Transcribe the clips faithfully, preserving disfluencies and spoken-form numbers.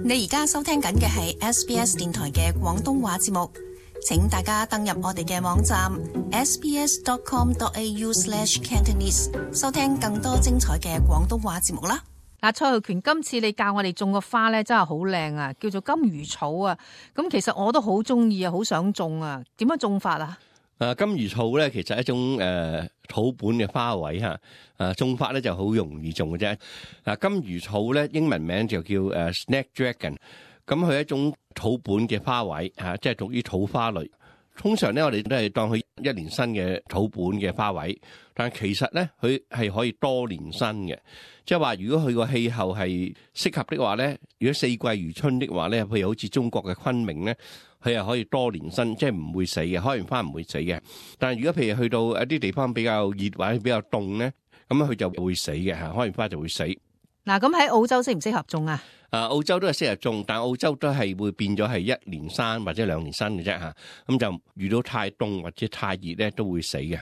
你而家收聽緊嘅係 S B S 電台嘅廣東話節目，請大家登入我哋嘅網站 s b s dot com dot a u slash cantonese 收聽更多精彩嘅廣東話節目啦。嗱，蔡浩權，今次你教我哋種個花咧，真係好靚啊，叫做金魚草啊。咁其實我都好中意啊，好想種啊。點樣種法啊？誒，金魚草咧，其實係一種誒、呃、土本嘅花卉吓。誒、啊，種法咧就好容易種嘅啫。嗱，金魚草咧，英文名就叫誒、uh, snapdragon。咁佢係一種土本嘅花卉吓、啊，即係屬於土花類。通常咧，我哋都係當佢一年生嘅土本嘅花卉，但係其實咧，佢係可以多年生嘅。即係話，如果佢個氣候係適合的話咧，如果四季如春的話咧，譬如好似中國嘅昆明咧，佢係可以多年生，即係唔會死嘅，開完花唔會死嘅。但係如果譬如去到一啲地方比較熱或者比較凍咧，咁佢就會死嘅嚇，開完花就會死。嗱，咁喺澳洲適唔適合種啊？啊，澳洲都係適合種，但係澳洲都係會變咗係一年生或者兩年生嘅啫嚇。咁就遇到太凍或者太熱咧，都會死嘅。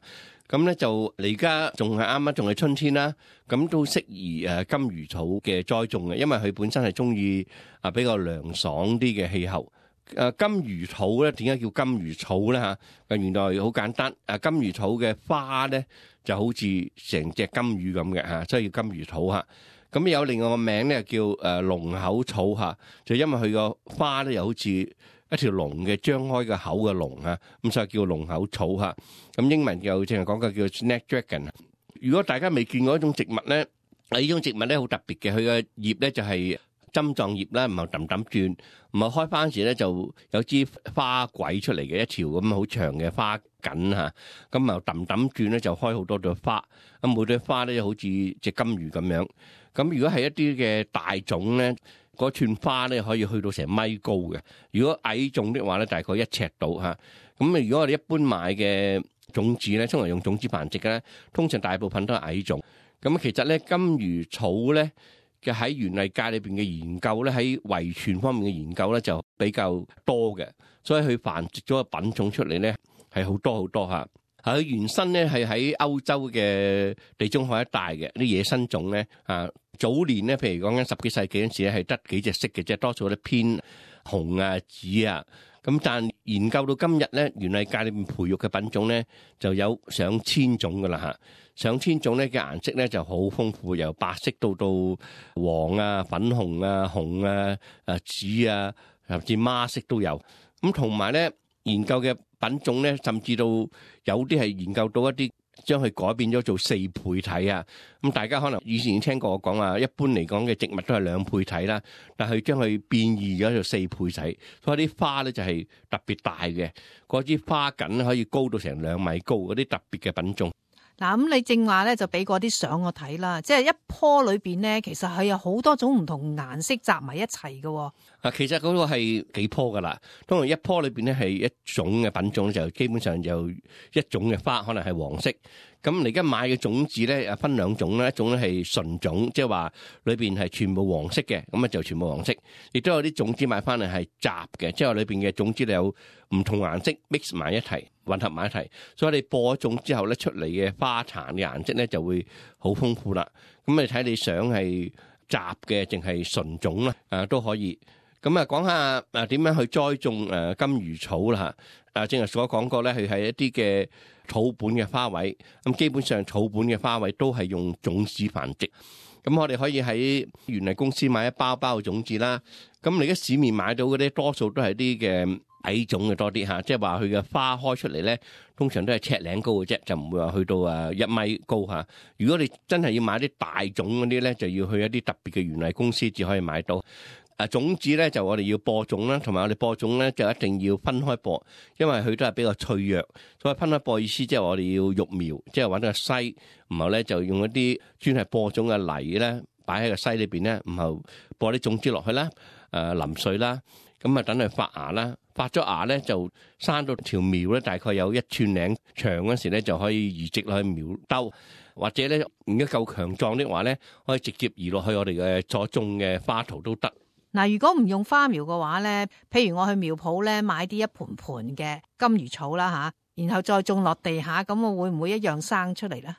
咁咧就你而家仲係啱啱仲係春天啦，咁都適宜誒金魚草嘅栽種嘅，因為佢本身係中意啊比較涼爽啲嘅氣候。誒金魚草咧點解叫金魚草咧嚇？誒原來好簡單，誒金魚草嘅花咧就好似成隻金魚咁嘅嚇，所以叫金魚草嚇。咁有另外個名咧叫誒龍口草嚇，就因為佢個花咧又好似一條龍嘅張開個口嘅龍啊，咁所以叫龍口草嚇。咁英文又淨係講嘅叫 snapdragon。如果大家未見過一種植物咧，啊呢種植物咧好特別嘅，佢嘅葉咧就係針狀葉啦，唔係揼揼轉，唔係開花嗰時咧就有支花軌出嚟嘅一條咁好長嘅花梗嚇，咁啊揼揼轉咧就開好多朵花，咁每朵花咧好似隻金魚咁樣。咁如果係一啲嘅大種咧，嗰串花咧可以去到成米高嘅。如果矮種的話咧，大概一尺到嚇。咁啊，如果我哋一般買嘅種子咧，通常用種子繁殖嘅咧，通常大部分都係矮種。咁其實咧，金魚草咧嘅喺園藝界裏邊嘅研究咧，喺遺傳方面嘅研究咧就比較多嘅，所以佢繁殖咗個品種出嚟咧係好多好多嚇。佢原生咧係喺歐洲嘅地中海一帶嘅啲野生種咧啊。早年咧，譬如講緊十幾世紀嗰陣時咧，係得幾隻色嘅啫，多數都偏紅啊、紫啊。咁但研究到今日咧，園藝界裏面培育嘅品種咧，就有上千種噶啦嚇。上千種咧嘅顏色咧就好豐富，由白色到到黃啊、粉紅啊、紅啊、啊紫啊，甚至孖色都有。咁同埋咧，研究嘅品種咧，甚至到有啲係研究到一啲，將佢改變咗做四倍體啊！咁大家可能以前已經聽過我講話，一般嚟講嘅植物都係兩倍體啦，但係將佢變異咗做四倍體，所以啲花咧就係特別大嘅，嗰支花梗可以高到成兩米高，嗰啲特別嘅品種。嗱，咁你正話咧就俾嗰啲相我睇啦，即係一棵裏邊咧，其實係有好多種唔同顏色集埋一齊嘅。啊，其實嗰個係幾棵噶啦，通常一棵裏邊咧係一種嘅品種，就基本上就一種嘅花，可能係黃色。咁你而家買嘅種子咧，啊分兩種啦，一種咧係純種，即係話裏邊係全部黃色嘅，咁啊就全部黃色。亦都有啲種子買翻嚟係雜嘅，即係話裏邊嘅種子有唔同顏色 mix 埋一齊，混合埋一齊。所以你播咗種之後咧，出嚟嘅花壇嘅顏色咧就會好豐富啦。咁你睇你想係雜嘅，淨係純種啦，啊都可以。咁啊，講下誒點樣去栽種誒金魚草啦嚇。啊，正如所講過咧，佢係一啲嘅草本嘅花卉。咁基本上草本嘅花卉都係用種子繁殖。咁我哋可以喺園藝公司買一包包嘅種子啦。咁你而家市面買到嗰啲多數都係啲嘅矮種嘅多啲嚇，即係話佢嘅花開出嚟咧，通常都係尺零高嘅啫，就唔會話去到啊一米高嚇。如果你真係要買啲大種嗰啲咧，就要去一啲特別嘅園藝公司至可以買到。啊，種子咧就我哋要播種啦，同埋我哋播種咧就一定要分開播，因為佢都係比較脆弱，所以分開播意思即係我哋要育苗，即係揾個篩，然後咧就用一啲專係播種嘅泥咧擺喺個篩裏邊咧，然後播啲種子落去啦，誒淋水啦，咁啊等佢發芽啦，發咗芽咧就生到條苗咧大概有一寸零長嗰時咧就可以移植落去苗兜，或者咧如果夠強壯的話咧，可以直接移落去我哋嘅所種嘅花圖都得。嗱，如果唔用花苗嘅話咧，譬如我去苗圃咧買啲一盆盆嘅金魚草啦吓，然後再種落地下，咁我會唔會一樣生出嚟咧？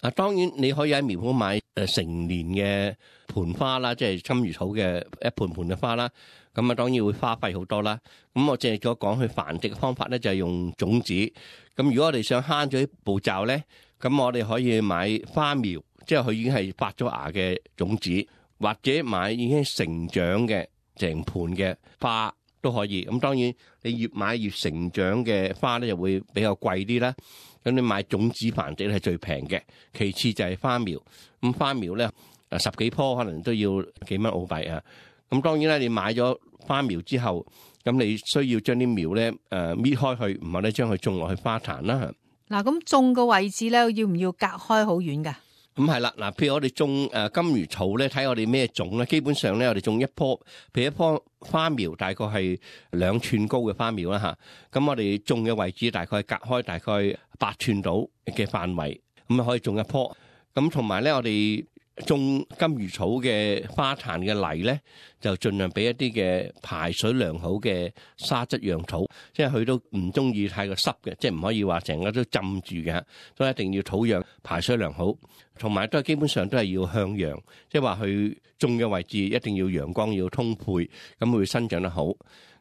啊，當然你可以喺苗圃買誒成年嘅盆花啦，即係金魚草嘅一盆盆嘅花啦。咁啊，當然會花費好多啦。咁我淨係咗講佢繁殖嘅方法咧，就係用種子。咁如果我哋想慳咗啲步驟咧，咁我哋可以買花苗，即係佢已經係發咗芽嘅種子，或者買已經成長嘅成盆嘅花都可以。咁當然你越買越成長嘅花咧，就會比較貴啲啦。咁你買種子繁殖咧係最平嘅，其次就係花苗。咁花苗咧，啊十幾棵可能都要幾蚊澳幣啊。咁當然啦，你買咗花苗之後，咁你需要將啲苗咧誒搣開去，唔係咧將佢種落去花壇啦。嗱，咁種個位置咧，要唔要隔開好遠㗎？咁係啦，嗱，譬如我哋種誒金魚草咧，睇我哋咩種咧，基本上咧我哋種一棵，譬如一棵花苗大概係兩寸高嘅花苗啦吓，咁我哋種嘅位置大概隔開大概八寸到嘅範圍，咁啊可以種一棵。咁同埋咧，我哋種金魚草嘅花壇嘅泥咧，就盡量俾一啲嘅排水良好嘅沙質樣土，即係佢都唔中意太過濕嘅，即係唔可以話成日都浸住嘅，所以一定要土壤排水良好，同埋都係基本上都係要向陽，即係話佢種嘅位置一定要陽光要充沛，咁會生長得好。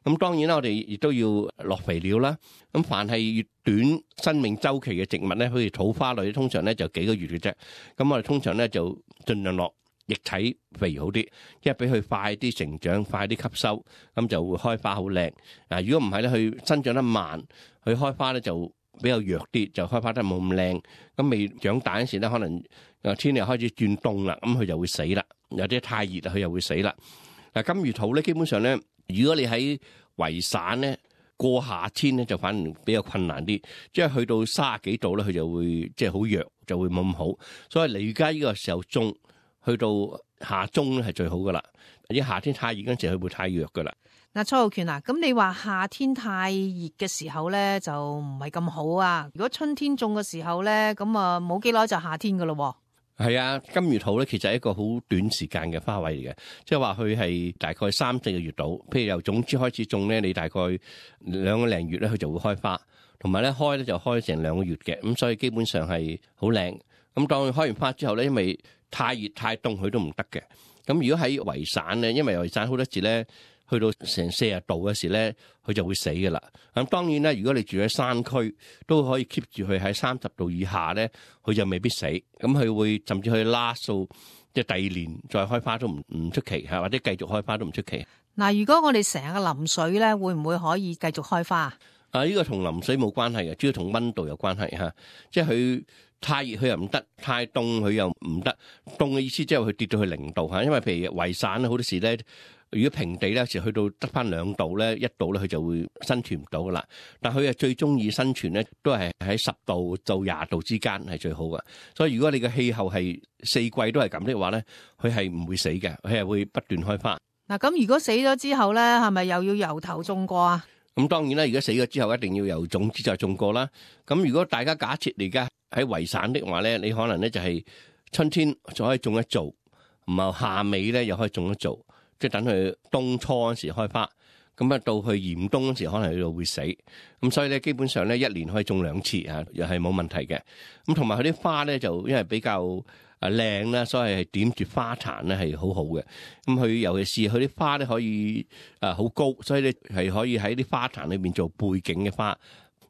咁當然啦，我哋亦都要落肥料啦。咁凡係越短生命周期嘅植物咧，好似土花類，通常咧就幾個月嘅啫。咁我哋通常咧就盡量落液體肥好啲，因為俾佢快啲成長，快啲吸收，咁就會開花好靚。嗱，如果唔係咧，佢生長得慢，佢開花咧就比較弱啲，就開花得冇咁靚。咁未長大嗰時咧，可能誒天氣開始轉凍啦，咁佢就會死啦。有啲太熱啦，佢又會死啦。嗱，金魚土咧，基本上咧，如果你喺圍散咧，過夏天咧就反而比較困難啲，即係去到三十幾度咧，佢就會即係好弱，就會冇咁好。所以你而家呢個時候種，去到夏中咧係最好噶啦。而夏天太熱嗰陣時，佢會太弱噶啦。嗱，蔡浩權啊，咁你話夏天太熱嘅時候咧，就唔係咁好啊。如果春天種嘅時候咧，咁啊冇幾耐就夏天噶咯。係啊，金魚土咧其實係一個好短時間嘅花卉嚟嘅，即係話佢係大概三四個月度。譬如由種子開始種咧，你大概兩個零月咧，佢就會開花，同埋咧開咧就開成兩個月嘅，咁所以基本上係好靚。咁當佢開完花之後咧，因為太熱太凍佢都唔得嘅。咁如果喺圍散咧，因為圍散好多時咧，去到成四十度嘅時咧，佢就會死噶啦。咁當然咧，如果你住喺山區，都可以 keep 住佢喺三十度以下咧，佢就未必死。咁佢會甚至去拉數，即係第二年再開花都唔唔出奇嚇，或者繼續開花都唔出奇。嗱，如果我哋成日淋水咧，會唔會可以繼續開花啊？啊，呢個同淋水冇關係嘅，主要同溫度有關係嚇。即係佢太熱佢又唔得，太凍佢又唔得。凍嘅意思即係佢跌到去零度嚇，因為譬如圍散好多時咧。如果平地咧，有時去到得翻兩度咧，一度咧，佢就會生存唔到噶啦。但佢係最中意生存咧，都係喺十度到廿度之間係最好嘅。所以如果你嘅氣候係四季都係咁的話咧，佢係唔會死嘅，佢係會不斷開花。嗱，咁如果死咗之後咧，係咪又要由頭種過啊？咁當然啦，如果死咗之後，一定要由種子再種過啦。咁如果大家假設你而家喺圍散的話咧，你可能咧就係春天就可以種一造，唔係夏尾咧又可以種一造。即係等佢冬初嗰時開花，咁啊到去嚴冬嗰時可能佢就會死，咁所以咧基本上咧一年可以種兩次啊，又係冇問題嘅。咁同埋佢啲花咧就因為比較啊靚啦，所以係點住花壇咧係好好嘅。咁佢尤其是佢啲花咧可以啊好高，所以咧係可以喺啲花壇裏邊做背景嘅花。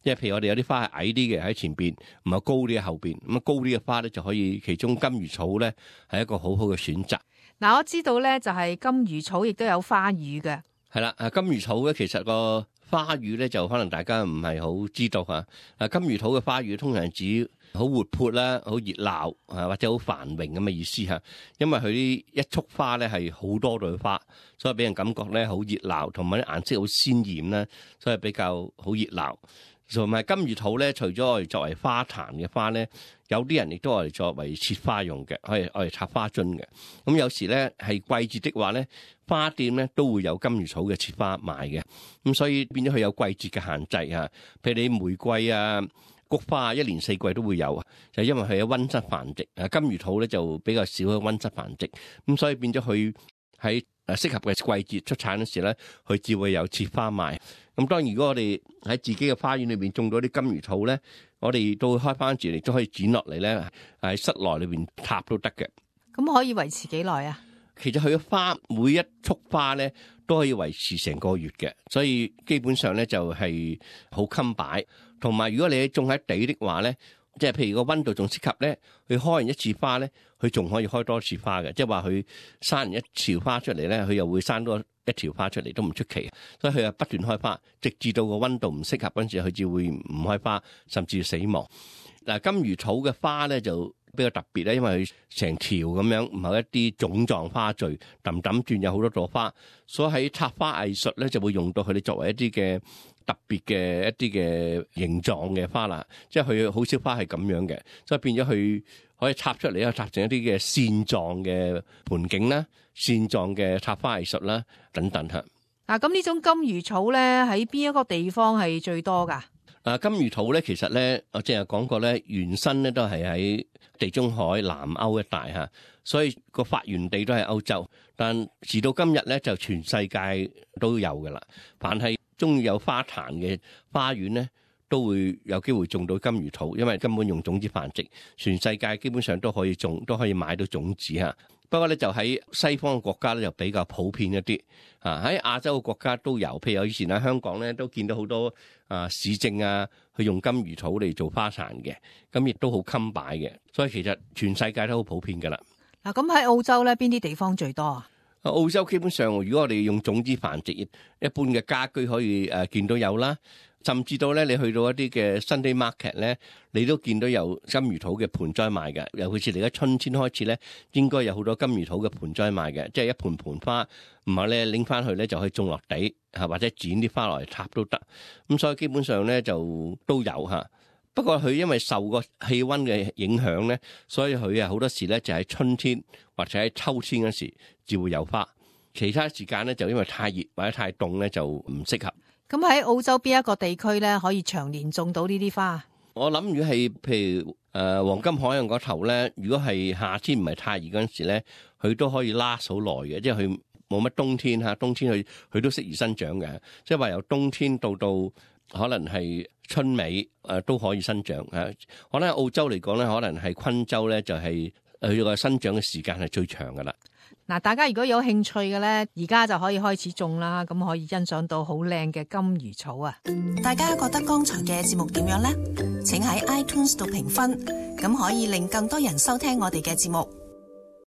即係譬如我哋有啲花係矮啲嘅喺前邊，唔係高啲嘅後邊。咁啊高啲嘅花咧就可以，其中金魚草咧係一個好好嘅選擇。嗱，我知道咧就係金魚草亦都有花語嘅。係啦，啊金魚草咧其實個花語咧就可能大家唔係好知道嚇。啊金魚草嘅花語通常係指好活潑啦、好熱鬧啊或者好繁榮咁嘅意思嚇。因為佢啲一束花咧係好多朵花，所以俾人感覺咧好熱鬧，同埋啲顏色好鮮豔啦，所以比較好熱鬧。同埋金魚草咧，除咗我哋作為花壇嘅花咧，有啲人亦都我哋作為切花用嘅，可以我哋插花樽嘅。咁有時咧係季節的話咧，花店咧都會有金魚草嘅切花賣嘅。咁所以變咗佢有季節嘅限制啊。譬如你玫瑰啊、菊花啊，一年四季都會有，就因為佢有溫室繁殖。啊，金魚草咧就比較少喺溫室繁殖，咁所以變咗佢喺誒適合嘅季節出產嗰時咧，佢只會有切花賣。咁當然如果我哋喺自己嘅花園裏邊種到啲金魚草咧，我哋都會開翻住，亦都可以剪落嚟咧，喺室內裏邊插都得嘅。咁可以維持幾耐啊？其實佢嘅花每一束花咧都可以維持成個月嘅，所以基本上咧就係好襟擺。同埋如果你種喺地的話咧，即係譬如個溫度仲適合咧，佢開完一次花咧，佢仲可以開多次花嘅，即係話佢生完一條花出嚟咧，佢又會生多一條花出嚟都唔出奇。所以佢係不斷開花，直至到個溫度唔適合嗰陣時，佢至會唔開花，甚至死亡。嗱，金魚草嘅花咧就比較特別咧，因為佢成條咁樣，唔係一啲種狀花序，揼揼轉有好多朵花，所以喺插花藝術咧就會用到佢哋作為一啲嘅特別嘅一啲嘅形狀嘅花啦，即係佢好少花係咁樣嘅，所以變咗佢可以插出嚟，啊插成一啲嘅線狀嘅盆景啦、線狀嘅插花藝術啦等等嚇。嗱，咁呢種金魚草咧喺邊一個地方係最多㗎？啊，金魚草咧其實咧，我正係講過咧，原生咧都係喺地中海南歐一帶嚇，所以個發源地都係歐洲。但時到今日咧，就全世界都有㗎啦。凡係中意有花壇嘅花園咧，都會有機會種到金魚草，因為根本用種子繁殖，全世界基本上都可以種，都可以買到種子嚇。不過咧，就喺西方嘅國家咧，就比較普遍一啲啊。喺亞洲嘅國家都有，譬如我以前喺香港咧，都見到好多啊市政啊，去用金魚草嚟做花壇嘅，咁亦都好襟擺嘅。所以其實全世界都好普遍噶啦。嗱，咁喺澳洲咧，邊啲地方最多啊？澳洲基本上，如果我哋用種子繁殖，一般嘅家居可以誒見到有啦。甚至到咧，你去到一啲嘅 Sunday Market 咧，你都見到有金魚土嘅盆栽賣嘅。尤其是嚟緊春天開始咧，應該有好多金魚土嘅盆栽賣嘅，即係一盆盆花，唔係咧拎翻去咧就可以種落地嚇，或者剪啲花落嚟插都得。咁所以基本上咧就都有嚇。不過佢因為受個氣温嘅影響咧，所以佢啊好多時咧就喺春天或者喺秋天嗰時至會有花，其他時間咧就因為太熱或者太凍咧就唔適合。咁喺澳洲邊一個地區咧可以長年種到呢啲花？我諗如果係譬如誒、呃、黃金海岸嗰頭咧，如果係夏天唔係太熱嗰陣時咧，佢都可以 last 好耐嘅，即係佢冇乜冬天嚇，冬天佢佢都適宜生長嘅，即係話由冬天到到可能係春尾誒、呃、都可以生長嚇。可能喺澳洲嚟講咧，可能係昆州咧就係佢個生長嘅時間係最長噶啦。嗱，大家如果有興趣嘅咧，而家就可以開始種啦，咁可以欣賞到好靚嘅金魚草啊！大家覺得剛才嘅節目點樣呢？請喺 iTunes 度評分，咁可以令更多人收聽我哋嘅節目。